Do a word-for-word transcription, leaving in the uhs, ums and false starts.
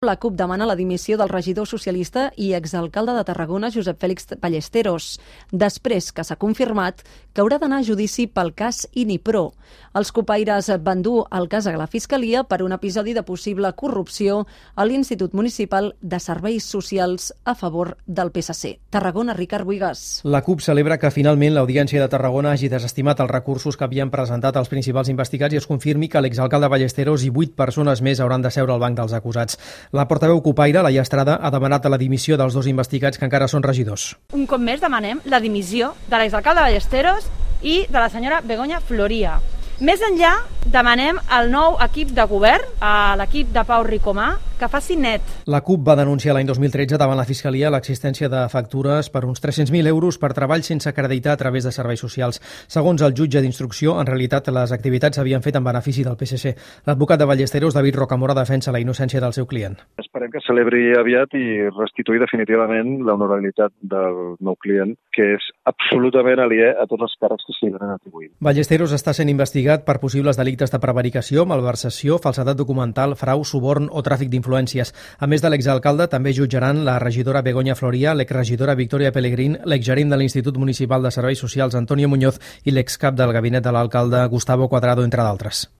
La CUP demana la dimissió del regidor socialista i exalcalde de Tarragona, Josep Fèlix Ballesteros, després que s'ha confirmat que haurà d'anar a judici pel cas Inipro. Els cupaires van dur el cas a la Fiscalia per un episodi de possible corrupció a l'Institut Municipal de Serveis Socials a favor del P S C. Tarragona, Ricard Buigas. La CUP celebra que finalment l'Audiència de Tarragona hagi desestimat els recursos que havien presentat els principals investigats i es confirmi que l'exalcalde Ballesteros i vuit persones més hauran de seure al banc dels acusats. La portaveu cupaire, Laia Estrada, ha demanat la dimissió dels dos investigats que encara són regidors. Un cop més demanem la dimissió de l'exalcalde Ballesteros i de la senyora Begoña Floria. Més enllà, demanem al nou equip de govern, a l'equip de Pau Ricomà, que faci net. La CUP va denunciar l'any dos mil tretze davant la Fiscalia l'existència de factures per uns tres-cents mil euros per treball sense acreditar a través de serveis socials. Segons el jutge d'instrucció, en realitat les activitats s'havien fet en benefici del P S C. L'advocat de Ballesteros, David Rocamora, defensa la innocència del seu client. Esperem que celebri aviat i restituir definitivament l'honorabilitat del nou client, que és absolutament aliè a tots els càrrecs que s'hi han atribuït. Ballesteros està sent investigat per possibles delictes de prevaricació, malversació, falsedat documental, frau, suborn o tràfic d'influències. A més de l'exalcalde, també jutjaran la regidora Begoña Floria, l'exregidora Victoria Pellegrín, l'exgerent de l'Institut Municipal de Serveis Socials Antonio Muñoz i l'excap del gabinet de l'alcalde Gustavo Cuadrado, entre d'altres.